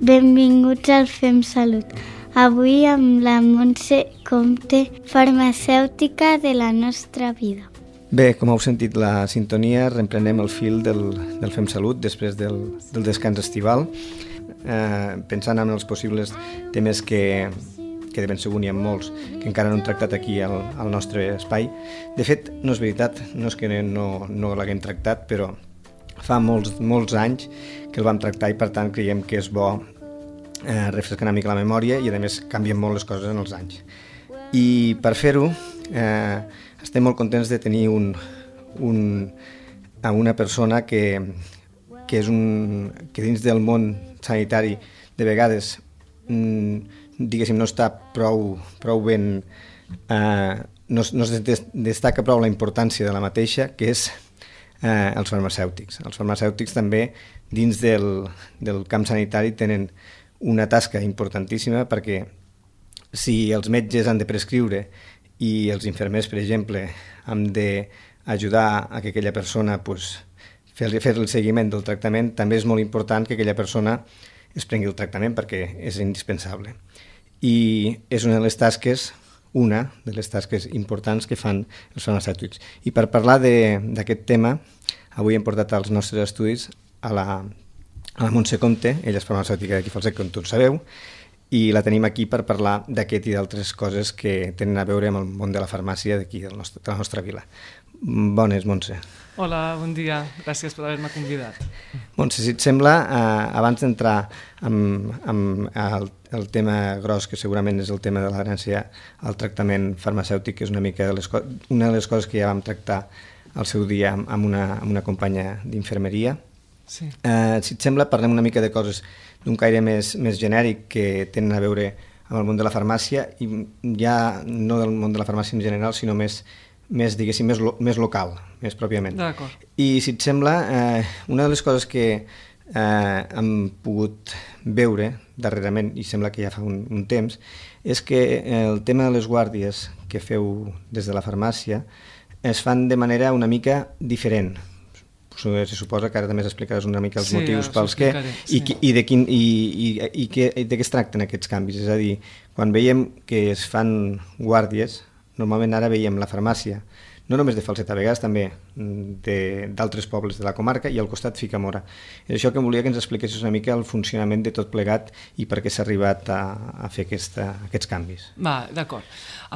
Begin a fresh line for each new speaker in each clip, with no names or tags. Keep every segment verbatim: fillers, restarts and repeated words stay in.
Benvinguts al Fem Salut. Avui amb la Montse Comte, farmacèutica de la nostra vida.
Bé, com heu sentit la sintonia, reemprenem el fil del, del Fem Salut després del, del descans estival, eh, pensant en els possibles temes que, que de ben segur n'hi ha molts, que encara no hem tractat aquí al, al nostre espai. De fet, no és veritat, no és que no, no l'haguem tractat, però fa molts, molts anys que el vam tractar i per tant creiem que és bo eh, refrescar una mica la memòria i a més canvien molt les coses en els anys. I per fer-ho eh, estem molt contents de tenir un, un, a una persona que, que, és un, que dins del món sanitari de vegades mm, diguéssim no està prou, prou ben eh, no, no es destaca prou la importància de la mateixa, que és Eh, els farmacèutics. Els farmacèutics també dins del, del camp sanitari tenen una tasca importantíssima perquè si els metges han de prescriure i els infermers, per exemple, han d'ajudar a que aquella persona pues, fer, fer el seguiment del tractament, també és molt important que aquella persona es prengui el tractament perquè és indispensable. I és una de les tasques una de les tasques importants que fan els farmacèutics. I per parlar d'aquest tema, avui hem portat als nostres estudis a la, a la Montse Comte, ella és farmacèutica d'aquí Falset, com tots sabeu, i la tenim aquí per parlar d'aquest i d'altres coses que tenen a veure amb el món de la farmàcia d'aquí, de la nostra vila. Bones, Montse.
Hola, bon dia. Gràcies per haver-me convidat.
Montse, si et sembla, eh, abans d'entrar amb, amb el, el tema gros, que segurament és el tema de l'adherència al tractament farmacèutic, que és una mica de les, una de les coses que ja vam tractar al seu dia amb una, amb una companya d'infermeria.
Sí.
Eh, si et sembla, parlem una mica de coses d'un caire més, més genèric que tenen a veure amb el món de la farmàcia, i ja no del món de la farmàcia en general, sinó més més, diguéssim, més, lo, més local, més pròpiament.
D'acord.
I si et sembla, eh, una de les coses que eh, hem pogut veure darrerament, i sembla que ja fa un, un temps, és que el tema de les guàrdies que feu des de la farmàcia es fan de manera una mica diferent. Se suposa que ara també explicaràs una mica els
sí,
motius pels que
sí.
i, i, de quin, i, i, i, que, i de què es tracten aquests canvis. És a dir, quan veiem que es fan guàrdies, normalment ara veiem la farmàcia, no només de Falset, a vegades també d'altres pobles de la comarca, i al costat Ficamora. És això que volia que ens expliquessis una mica el funcionament de tot plegat i per què s'ha arribat a, a fer aquesta, aquests canvis.
Va, d'acord.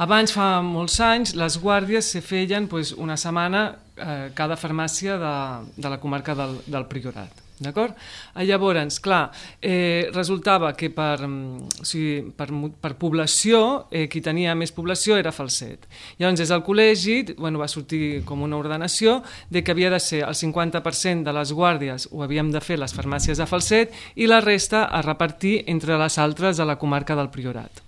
Abans, fa molts anys, les guàrdies se feien pues, una setmana eh, cada farmàcia de, de la comarca del, del Priorat. D'acord? Llavors, clar, eh, resultava que per, o sigui, per, per població, eh, qui tenia més població era Falset. Llavors, des del col·legi bueno, va sortir com una ordenació de que havia de ser el cinquanta per cent de les guàrdies ho havíem de fer les farmàcies de Falset i la resta a repartir entre les altres de la comarca del Priorat.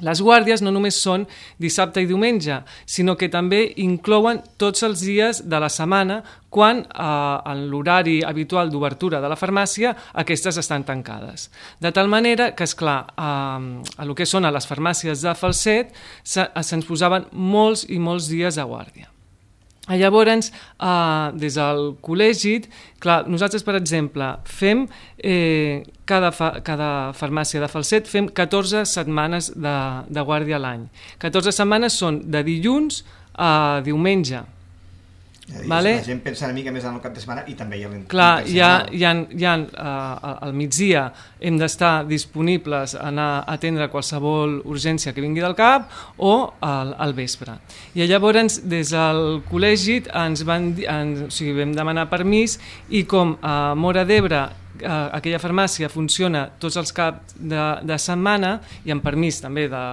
Les guàrdies no només són dissabte i diumenge, sinó que també inclouen tots els dies de la setmana quan eh, en l'horari habitual d'obertura de la farmàcia aquestes estan tancades. De tal manera que, esclar, eh, a lo que són a les farmàcies de Falset se, se'ns posaven molts i molts dies a guàrdia. Llavors, eh, des del col·legi, clar, nosaltres, per exemple, fem, eh, cada, fa, cada farmàcia de Falset, fem catorze setmanes de, de guàrdia a l'any. catorze setmanes són de dilluns a diumenge. Vale?
La gent pensa una mica més en el cap de setmana i també hi ha l'entrada.
Clar, hi ha, hi ha, hi ha uh, al migdia hem d'estar disponibles a anar a atendre qualsevol urgència que vingui del cap o al, al vespre. I llavors des del col·legi ens van, ens, o sigui, vam demanar permís i com a Móra d'Ebre uh, aquella farmàcia funciona tots els caps de, de setmana i amb permís també de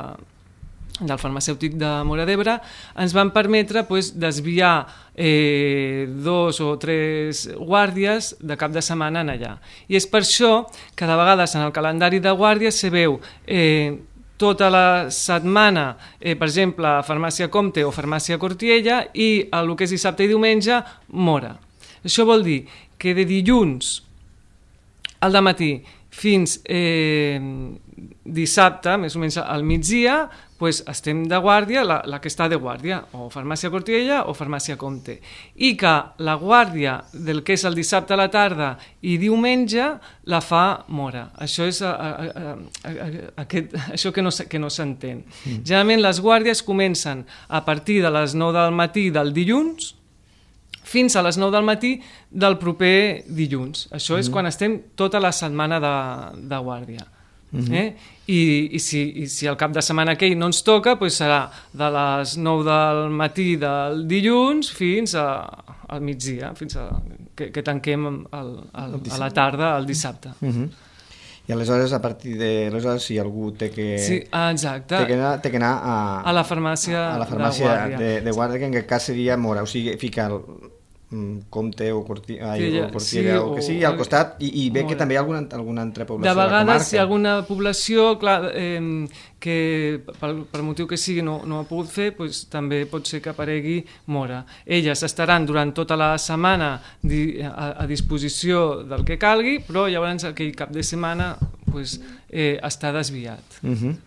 del farmacèutic de Móra d'Ebre, ens van permetre pues, desviar eh, dos o tres guàrdies de cap de setmana en allà. I és per això que de vegades en el calendari de guàrdies se veu eh, tota la setmana, eh, per exemple, Farmàcia Comte o Farmàcia Cortiella i el que és dissabte i diumenge, Móra. Això vol dir que de dilluns al dematí fins eh, dissabte, més o menys al migdia, pues estem de guàrdia, la, la que està de guàrdia, o farmàcia Cortiella o farmàcia Comte, i que la guàrdia del que és el dissabte a la tarda i diumenge la fa Mora. Això és a, a, a, a, aquest, això que no, que no s'entén. Mm. Generalment les guàrdies comencen a partir de les nou del matí del dilluns fins a les nou del matí del proper dilluns. Això és mm. quan estem tota la setmana de, de guàrdia. Mm-hmm. eh? I, i, si, i si el cap de setmana aquell no ens toca, doncs serà de les nou del matí del dilluns fins a, al migdia, fins a, que, que tanquem el, el, a la tarda el dissabte.
Mm-hmm. I aleshores, a partir de... Aleshores, si algú té que...
Sí, exacte.
Té que anar, té que anar a...
A la farmàcia,
a la farmàcia
de guàrdia.
De, de guàrdia, que en aquest cas seria Mora, o sigui, ficar el Comte o Cortiella, ai, o, Cortiella, sí, o que sigui, al costat, i, i bé que també hi ha alguna, alguna altra població
de,
de la comarca.
De vegades hi ha alguna població, clar, eh, que per, per motiu que sigui no, no ha pogut fer, doncs, també pot ser que aparegui Mora. Elles estaran durant tota la setmana di, a, a disposició del que calgui, però llavors aquell cap de setmana doncs, eh, està desviat.
Mhm. Uh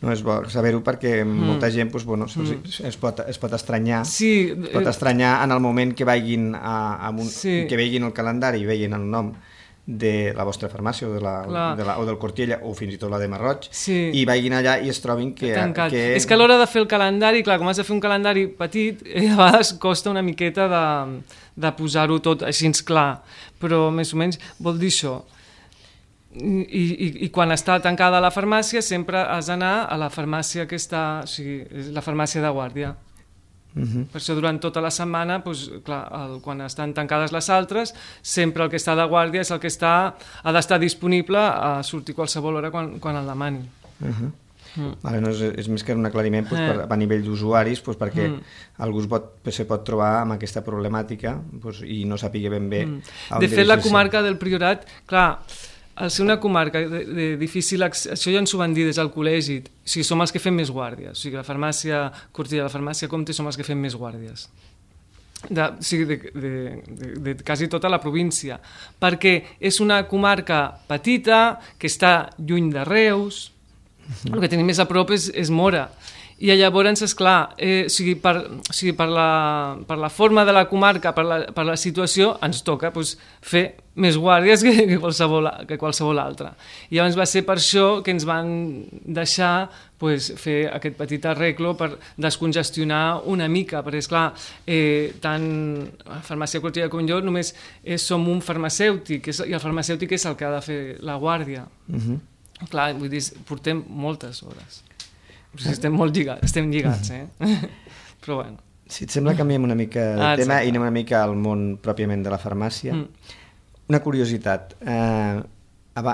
No és bo saber-ho perquè mm. molta gent doncs, bueno, mm. es, pot, es pot estranyar
sí,
es pot estranyar en el moment que vagin a, a un,
sí.
que vegin el calendari i vegin el nom de la vostra farmàcia o, de la, de la, o del Cortiella o fins i tot la de Marroig, sí. i vagin allà i es trobin que... que...
És que a l'hora de fer el calendari, clar, com has de fer un calendari petit, eh, a vegades costa una miqueta de, de posar-ho tot així clar, però més o menys vol dir això. I, i, i quan està tancada la farmàcia sempre has d'anar a la farmàcia que està, o sigui, la farmàcia de guàrdia. Uh-huh. Per això durant tota la setmana, doncs, clar, el, quan estan tancades les altres, sempre el que està de guàrdia és el que està, ha d'estar disponible a sortir qualsevol hora quan, quan el demani.
Uh-huh. Mm. Vale, no, és, és més que un aclariment doncs, per, a nivell d'usuaris, doncs, perquè mm. algú es pot, se pot trobar amb aquesta problemàtica doncs, i no sàpiga ben bé mm.
De fet, la comarca del Priorat, clar, al ser una comarca de, de difícil accés, això ja ens ho van dir des del col·legi, o sigui, som els que fem més guàrdies, o sigui, la farmàcia Cortiella, la farmàcia Comte som els que fem més guàrdies. De, o sigui, de, de, de, de quasi tota la província, perquè és una comarca petita, que està lluny de Reus, el que tenim més a prop és, és Mora. I llavors, esclar, eh, o sigui, per, o sigui, per, la, per la forma de la comarca, per la, per la situació, ens toca pues, fer més guàrdies que, que, qualsevol, que qualsevol altra. I llavors va ser per això que ens van deixar pues, fer aquest petit arreglo per descongestionar una mica, perquè, esclar, eh, tant la farmàcia Cortiella com jo només eh, som un farmacèutic, és, i el farmacèutic és el que ha de fer la guàrdia. Uh-huh. Clar, vull dir, portem moltes hores. O sigui, estem molt lligats, estem lligats, eh? Però bueno.
Si et sembla, canviem una mica de ah, tema i anem una mica al món pròpiament de la farmàcia. Mm. Una curiositat. Eh,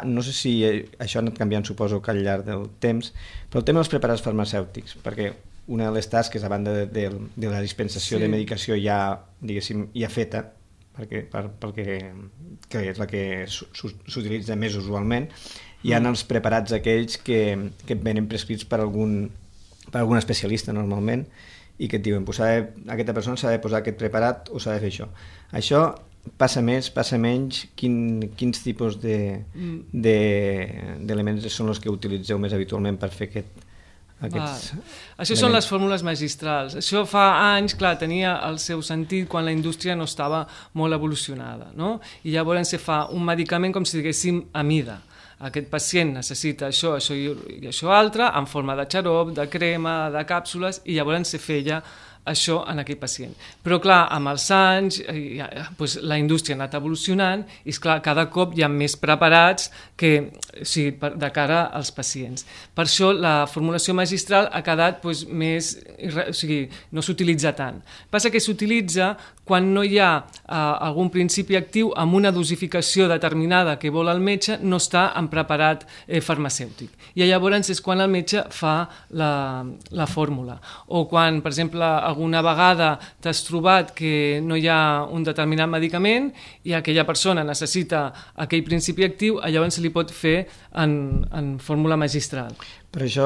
no sé si això ha anat canviant, suposo que al llarg del temps, però el tema dels preparats farmacèutics, perquè una de les tasques, a banda de, de, de la dispensació sí. de medicació ja, diguéssim, ja feta, perquè, per, perquè que és la que s'utilitza més usualment, hi ha els preparats aquells que, que venen prescrits per algun, per algun especialista normalment i que et diuen pues, de, aquesta persona s'ha de posar aquest preparat o s'ha de fer això. Això passa més, passa menys? Quin, quins tipus de, de, d'elements són els que utilitzeu més habitualment per fer aquest, aquests
ah, això elements? Són les fórmules magistrals. Això fa anys, clar, tenia el seu sentit quan la indústria no estava molt evolucionada, no? I llavors se fa un medicament com si diguéssim a mida. Aquest pacient necessita això, això i això altre, en forma de xarop, de crema, de càpsules, i llavors se feia això en aquell pacient. Però clar, amb els anys ja, doncs, la indústria ha anat evolucionant i esclar, cada cop hi ha més preparats que, o sigui, per, de cara als pacients. Per això la formulació magistral ha quedat doncs, més, o sigui, no s'utilitza tant. Passa que s'utilitza quan no hi ha eh, algun principi actiu amb una dosificació determinada que vol el metge, no està en preparat eh, farmacèutic. I llavors és quan el metge fa la, la fórmula. O quan, per exemple, alguna vegada t'has trobat que no hi ha un determinat medicament i aquella persona necessita aquell principi actiu, llavors se li pot fer en, en fórmula magistral.
Per això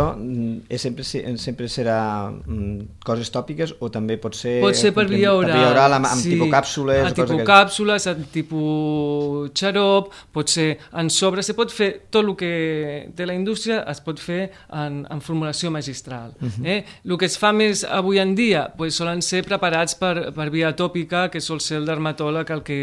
és, sempre, sempre serà mm, coses tòpiques o també pot ser...
Pot ser per via oral,
per via oral amb, amb
sí,
tipus càpsules.
amb tipus càpsules, amb tipus xarop, pot ser en sobre, se pot fer tot el que té la indústria, es pot fer en, en formulació magistral. Uh-huh. eh? El que es fa més avui en dia pues, solen ser preparats per, per via tòpica, que sol ser el dermatòleg el que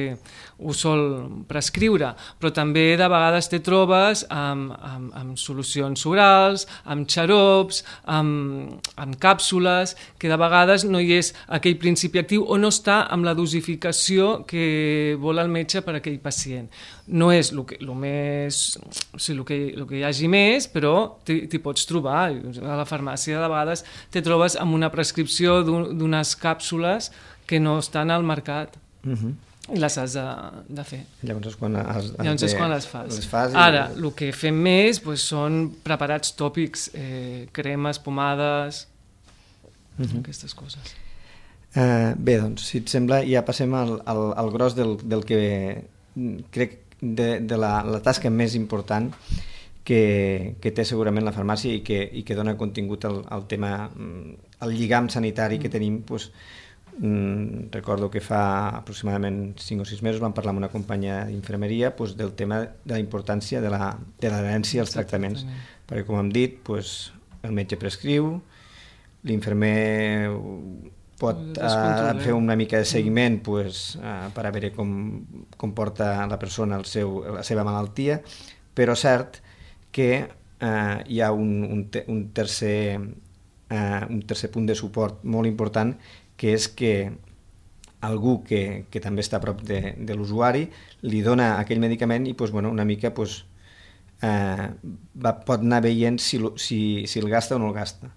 ho sol prescriure, però també de vegades te trobes amb, amb, amb solucions orals, amb xarops, amb, amb càpsules, que de vegades no hi és aquell principi actiu o no està amb la dosificació que vol el metge per a aquell pacient. No és el que, el més, o sigui, el que, el que hi hagi més, però t'hi pots trobar. A la farmàcia de vegades te trobes amb una prescripció d'unes càpsules que no estan al mercat. Uh-huh. I les has de, de fer.
Llavors és quan, has, has
Llavors és
de,
quan les fas.
Les fas i...
Ara, el que fem més pues, són preparats tòpics, eh, cremes, pomades, uh-huh. aquestes coses.
Uh, bé, doncs, si et sembla, ja passem al, al, al gros del, del que crec de, de la, la tasca més important que, que té segurament la farmàcia i que, i que dona contingut al, al tema, al lligam sanitari que tenim, doncs, Mm, recordo que fa aproximadament cinc o sis mesos vam parlar amb una companya d'infermeria pues, del tema de la importància de la, de l'adherència als tractaments, perquè com hem dit pues, el metge prescriu, l'infermer pot uh, fer una mica de seguiment pues, uh, per a veure com, com porta la persona el seu, la seva malaltia, però cert que uh, hi ha un, un, te, un, tercer, uh, un tercer punt de suport molt important, que és que algú que, que també està a prop de, de l'usuari li dona aquell medicament i pues, bueno, una mica pues, eh, va, pot anar veient si, si, si el gasta o no el gasta.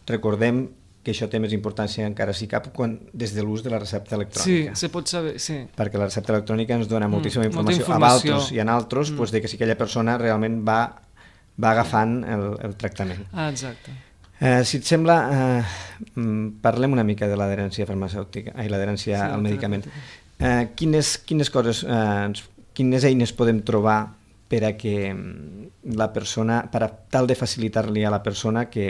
Recordem que això té més importància encara si cap quan, des de l'ús de la recepta electrònica.
Sí, se pot saber, sí.
Perquè la recepta electrònica ens dona moltíssima
mm,
informació,
informació.
a altres i en altres mm. pues, de que si aquella persona realment va, va agafant el, el tractament.
Ah, exacte.
Eh, si et sembla, eh, parlem una mica de l'adherència farmacèutica, ai, l'adherència sí, al medicament. Eh, quines, quines coses, eh, quines eines podem trobar per a que la persona, per a tal de facilitar-li a la persona que,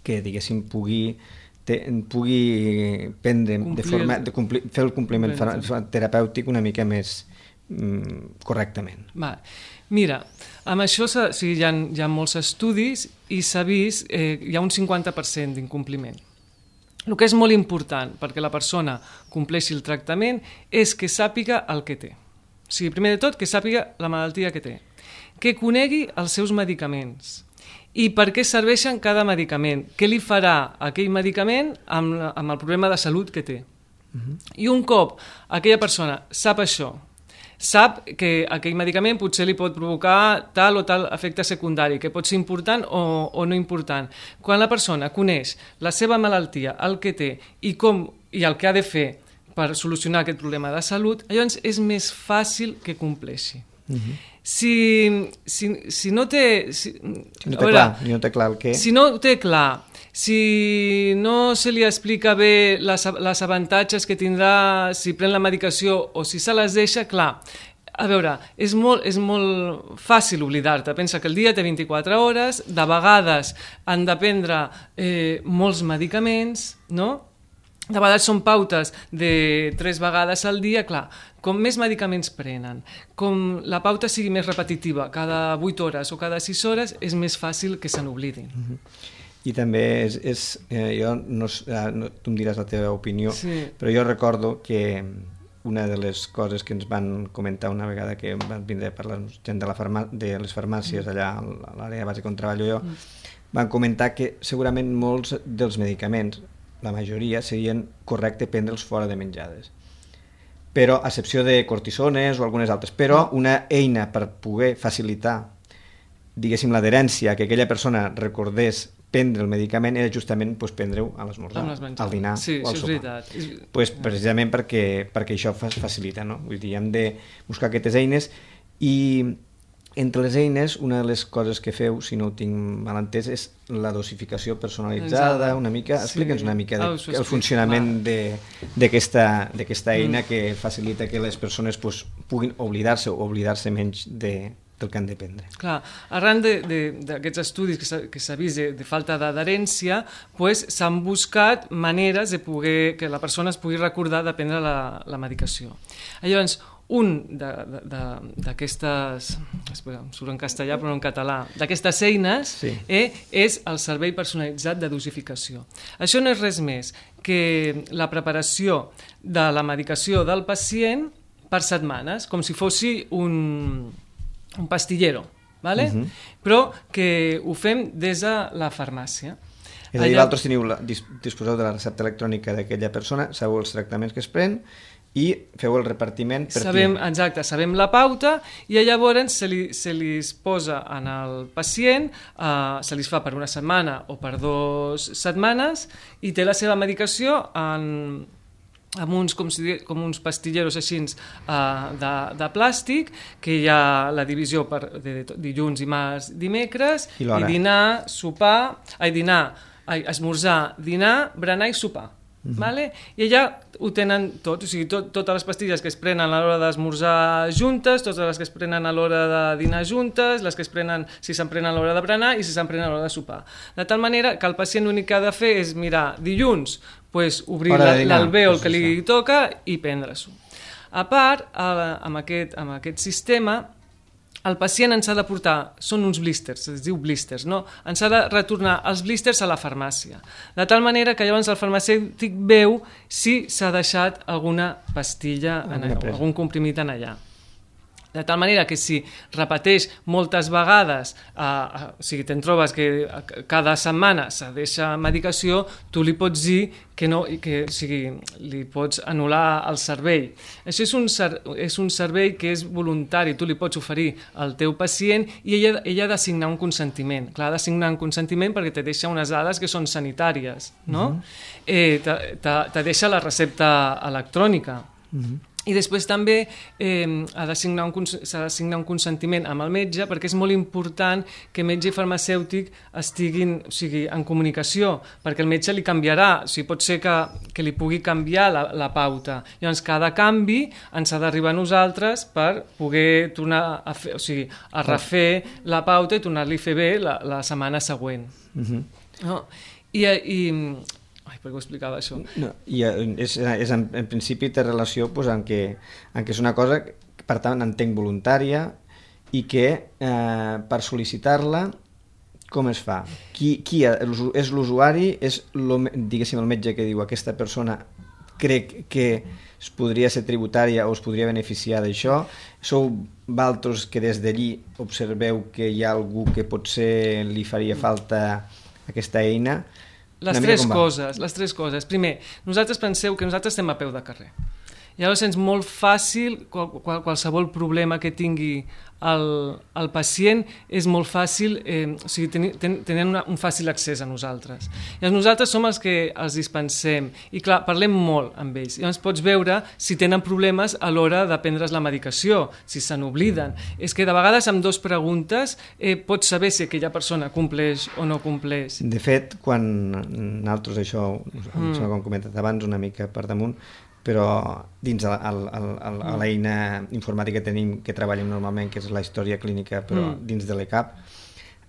que diguéssim, pugui, te, pugui prendre, complir de forma, de complir, fer el compliment terapèutic una mica més mm, correctament.
Va. Mira, amb això o sigui, hi, ha, hi ha molts estudis i s'ha vist eh, hi ha un cinquanta per cent d'incompliment. El que és molt important perquè la persona compleixi el tractament és que sàpiga el que té. O sigui, primer de tot, que sàpiga la malaltia que té, que conegui els seus medicaments i per què serveixen cada medicament, què li farà aquell medicament amb, amb el problema de salut que té. Uh-huh. I un cop aquella persona sap això, sap que aquell medicament potser li pot provocar tal o tal efecte secundari, que pot ser important o, o no important. Quan la persona coneix la seva malaltia, el que té i, com, i el que ha de fer per solucionar aquest problema de salut, llavors és més fàcil que compleixi. Uh-huh. Si, si, si no té... Si,
si no té veure, clar, no té clar el què...
Si no té clar, si no se li explica bé les, les avantatges que tindrà si pren la medicació o si se les deixa, clar, a veure, és molt, és molt fàcil oblidar-te. Pensa que el dia té vint-i-quatre hores, de vegades han de prendre eh, molts medicaments, no? De vegades són pautes de tres vegades al dia, clar, com més medicaments prenen, com la pauta sigui més repetitiva, cada vuit hores o cada sis hores, és més fàcil que se n'oblidin.
Mm-hmm. I també és, és eh, jo no, no, tu em diràs la teva opinió, sí. Però jo recordo que una de les coses que ens van comentar una vegada que van vindre per la gent de, la farmà, de les farmàcies allà a l'àrea base on treballo jo, van comentar que segurament molts dels medicaments, la majoria, serien correcte prendre'ls fora de menjades. Però, a excepció de cortisones o algunes altres, però una eina per poder facilitar, diguéssim, l'adherència, que aquella persona recordés prendre el medicament era justament pues, prendre-ho a l'esmorzar, al dinar
sí,
o al
sí,
sopar. Pues, precisament perquè, perquè això facilita, no? Vull dir, hem de buscar aquestes eines i entre les eines, una de les coses que feu, si no ho tinc mal entès, és la dosificació personalitzada, una mica, sí. Explica'ns una mica de, oh, el funcionament d'aquesta eina mm. que facilita que les persones pues, puguin oblidar-se o oblidar-se menys de, del que han de prendre.
Clar, arran d'aquests estudis que s'ha vist de, de falta d'adherència, pues, s'han buscat maneres de poder, que la persona es pugui recordar de prendre la, la medicació. Llavors, un d'aquestes, em surt en castellà però no en català, d'aquestes eines sí. eh, és el servei personalitzat de dosificació. Això no és res més que la preparació de la medicació del pacient per setmanes, com si fossi un, un pastillero, ¿vale? Uh-huh. Però que ho fem des de la farmàcia.
És a dir, Allà... vosaltres teniu la, disposeu de la recepta electrònica d'aquella persona, sabeu els tractaments que es pren i feu el repartiment per
sabem,
client.
Exacte, sabem la pauta i llavors se li, se li posa en el pacient, eh, se li fa per una setmana o per dues setmanes i té la seva medicació en, amb uns, com, si, com uns pastilleros així uh, de, de plàstic, que hi ha la divisió per de, de dilluns, dimarts, dimecres, i, i dinar, sopar, ai, dinar, ai, esmorzar, dinar, berenar i sopar. Mm-hmm. Vale? I allà ho tenen tot, o sigui, tot, totes les pastilles que es prenen a l'hora d'esmorzar juntes, totes les que es prenen a l'hora de dinar juntes, les que es prenen si se'n prenen a l'hora de berenar i si se'n prenen a l'hora de sopar. De tal manera que el pacient l'únic que ha de fer és mirar dilluns, pues, obrir l'alvèol que li toca i prendre-s'ho. A part, amb aquest, amb aquest sistema, el pacient ens ha de portar, són uns blísters, es diu blísters, no? Ens ha de retornar els blísters a la farmàcia, de tal manera que llavors el farmacèutic veu si s'ha deixat alguna pastilla, en allà, algun comprimit en allà. De tal manera que si repeteix moltes vegades, eh, o sigui, te'n trobes que cada setmana se deixa medicació, tu li pots dir que no, que, o sigui, li pots anul·lar el servei. Això és un, és un servei que és voluntari, tu li pots oferir al teu pacient i ella, ella ha de signar un consentiment. Clar, ha de signar un consentiment perquè te deixa unes dades que són sanitàries, no? Uh-huh. eh, te, te, te deixa la recepta electrònica. Uh-huh. I després també eh, ha de signar un, s'ha de signar un consentiment amb el metge perquè és molt important que metge i farmacèutic estiguin, o sigui, en comunicació, perquè el metge li canviarà, o sigui, pot ser que, que li pugui canviar la, la pauta. Llavors, cada canvi ens ha d'arribar a nosaltres per poder tornar a, fer, o sigui, a refer la pauta i tornar-li a fer bé la, la setmana següent. Uh-huh. No? I... i Ai, per què ho explicava això?
No, i és, és en, en principi té relació pues, en, que, en que és una cosa que, per tant, entenc voluntària i que eh, per sol·licitar-la com es fa? Qui, qui és l'usuari? És lo, diguéssim el metge que diu aquesta persona crec que es podria ser tributària o es podria beneficiar d'això? Sou vosaltres que des d'allí observeu que hi ha algú que potser li faria falta aquesta eina?
Les tres coses, les tres coses. Primer, nosaltres penseu que nosaltres estem a peu de carrer. Llavors és molt fàcil, qual, qual, qualsevol problema que tingui el, el pacient és molt fàcil, eh, o sigui, ten, ten, tenen una, un fàcil accés a nosaltres. Llavors nosaltres som els que els dispensem i clar, parlem molt amb ells. Llavors pots veure si tenen problemes a l'hora de prendre's la medicació, si se n'obliden. És que de vegades amb dues preguntes eh, pots saber si aquella persona compleix o no compleix.
De fet, quan nosaltres això, mm. com hem comentat abans, una mica per damunt, però dins el, el, el, l'eina informàtica que tenim, que treballem normalment, que és la història clínica, però mm. dins de l'E C A P,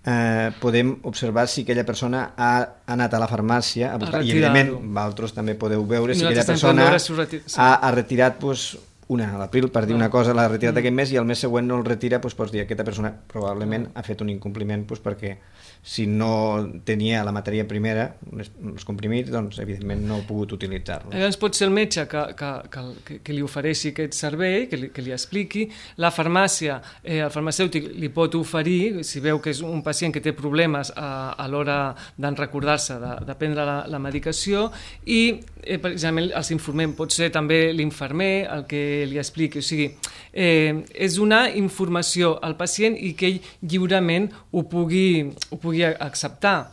eh, podem observar si aquella persona ha anat a la farmàcia a buscar, a i evidentment vosaltres també podeu veure si aquella persona reti... sí. ha, ha retirat pues, una a l'abril, per dir una cosa, l'ha retirat mm. aquest mes i el mes següent no el retira, pues, pots dir que aquesta persona probablement mm. ha fet un incompliment pues, perquè si no tenia la matèria primera, els comprimits, doncs evidentment no he pogut utilitzar-los.
Llavors pot ser el metge que, que, que, que li ofereixi aquest servei, que li, que li expliqui, la farmàcia, eh, el farmacèutic li pot oferir, si veu que és un pacient que té problemes a, a l'hora d'en recordar-se de, de prendre la, la medicació i eh, precisament els informem, pot ser també l'infermer el que li expliqui, o sigui, eh, és donar informació al pacient i que ell lliurement ho pugui, ho pugui acceptar.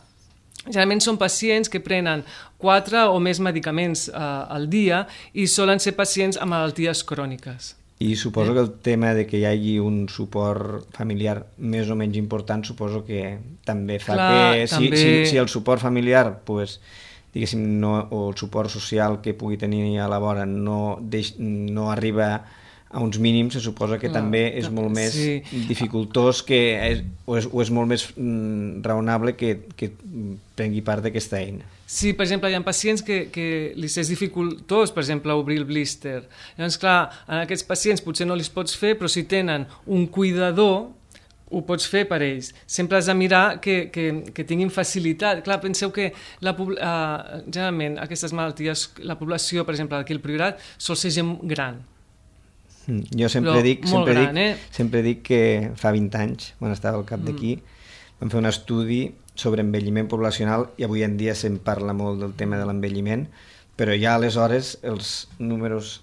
Generalment són pacients que prenen quatre o més medicaments eh, al dia i solen ser pacients amb malalties cròniques.
I suposo que el tema de que hi hagi un suport familiar més o menys important, suposo que també fa Clar, que si, també... si, si el suport familiar, pues, diguéssim, no, o el suport social que pugui tenir a la vora no, deix, no arriba a uns mínims, se suposa que
Clar,
també és molt més
sí.
dificultós que és, o, és, o és molt més mm, raonable que, que prengui part d'aquesta eina.
Sí, per exemple, hi ha pacients que, que li és dificultós, per exemple, obrir el blister. Llavors, clar, en aquests pacients potser no els pots fer, però si tenen un cuidador, ho pots fer per ells. Sempre has de mirar que, que, que tinguin facilitat. Clar, penseu que la, uh, generalment aquestes malalties, la població, per exemple, d'aquí al Priorat, sol ser gent gran.
Jo sempre
Però
dic, sempre,
gran,
dic,
eh?
sempre dic que fa vint anys, quan estava al cap d'aquí, mm. vam fer un estudi sobre envelliment poblacional i avui en dia se'n parla molt del tema de l'envelliment, però ja aleshores els números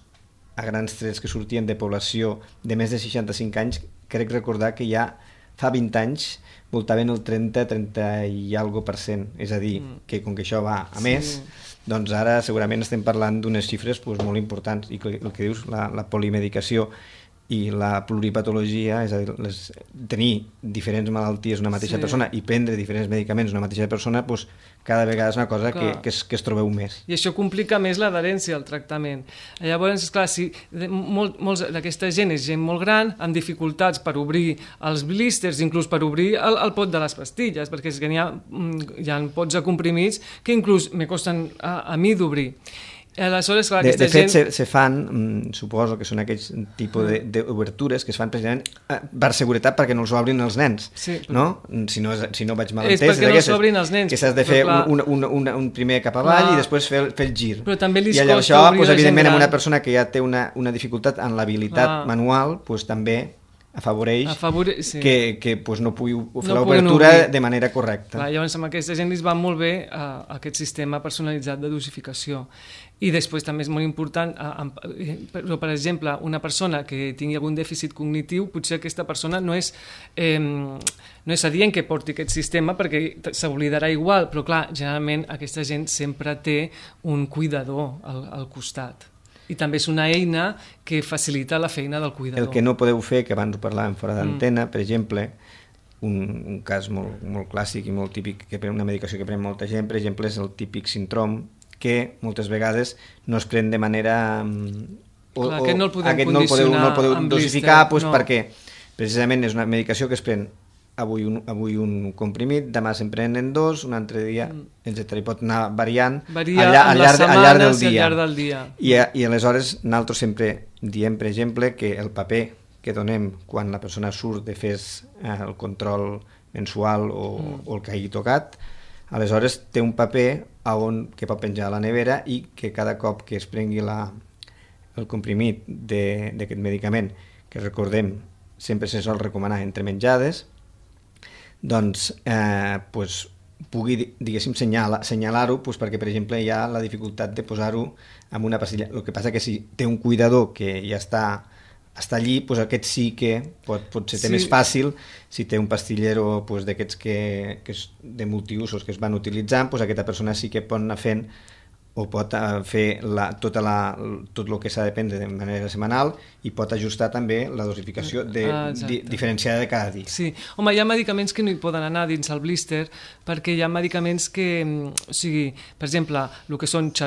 a grans trets que sortien de població de més de seixanta-cinc anys, crec recordar que ja fa vint anys voltaven el trenta, trenta i algo per cent, és a dir, mm. que com que això va a més, sí. doncs ara segurament estem parlant d'unes xifres pues, molt importants i el que dius, la, la polimedicació i la pluripatologia, és a dir, les, tenir diferents malalties una mateixa sí. persona i prendre diferents medicaments una mateixa persona, pues, cada vegada és una cosa que, que, es, que es trobeu més.
I això complica més l'adherència al tractament. Llavors, esclar, si molt, molts d'aquesta gent és gent molt gran, amb dificultats per obrir els blísters, inclús per obrir el, el pot de les pastilles, perquè és que hi ha, hi ha pots de comprimits que inclús me costen a, a mi d'obrir. Aleshores, clar,
de, de fet,
gent...
se, se fan, mm, suposo que són aquells tipus d'obertures que es fan precisament eh, per seguretat perquè no els obrin els nens,
sí,
no? Si no, si no vaig mal entès...
És perquè no els obrin els nens.
Que s'has de fer
clar...
un, un, un, un primer cap avall clar. I després fer, fer el gir.
Però també li
I allò, això, pues, evidentment, amb una persona que ja té una, una dificultat en l'habilitat manual, pues, també afavoreix
Afavore... sí.
que, que pues, no pugui fer
no
l'obertura de manera correcta.
Clar, llavors, amb aquesta gent li va molt bé uh, aquest sistema personalitzat de dosificació. I després també és molt important, uh, però, per exemple, una persona que tingui algun dèficit cognitiu, potser aquesta persona no és, eh, no és adient que porti aquest sistema perquè s'oblidarà igual, però clar, generalment aquesta gent sempre té un cuidador al, al costat. I també és una eina que facilita la feina del cuidador.
El que no podeu fer, que abans ho parlàvem fora d'antena, mm. per exemple, un, un cas molt, molt clàssic i molt típic, que pren una medicació que pren molta gent, per exemple, és el típic síndrom que moltes vegades no es pren de manera... O,
Clar, aquest no el podem
aquest no el podeu, no el podeu dosificar pues,
no.
perquè precisament és una medicació que es pren avui un, avui un comprimit, demà se'n prenen dos, un altre dia, mm. etcètera. I pot anar variant
Varia
al, llarg, al, llarg, al, llarg del dia.
al llarg del dia.
I, I aleshores nosaltres sempre diem, per exemple, que el paper que donem quan la persona surt de fer eh, el control mensual o, mm. o el que hagi tocat, aleshores té un paper a on, que pot penjar a la nevera i que cada cop que es prengui la, el comprimit d'aquest medicament, que recordem sempre se sol recomanar entre menjades, doncs eh, pues, pugui, diguéssim, senyalar-ho pues, perquè, per exemple, hi ha la dificultat de posar-ho en una pastilla. El que passa que si té un cuidador que ja està, està allí, pues, aquest sí que pot, potser té sí. més fàcil, si té un pastillero pues, d'aquests que, que és de multiusos que es van utilitzant, pues, aquesta persona sí que pot anar fent o pot fer la, tota la, tot el que s'ha de prendre de manera setmanal i pot ajustar també la dosificació de, ah, di, diferenciada de cada dia.
Sí, home, hi ha medicaments que no hi poden anar dins el blister perquè hi ha medicaments que, o sigui, per exemple, el que són xarop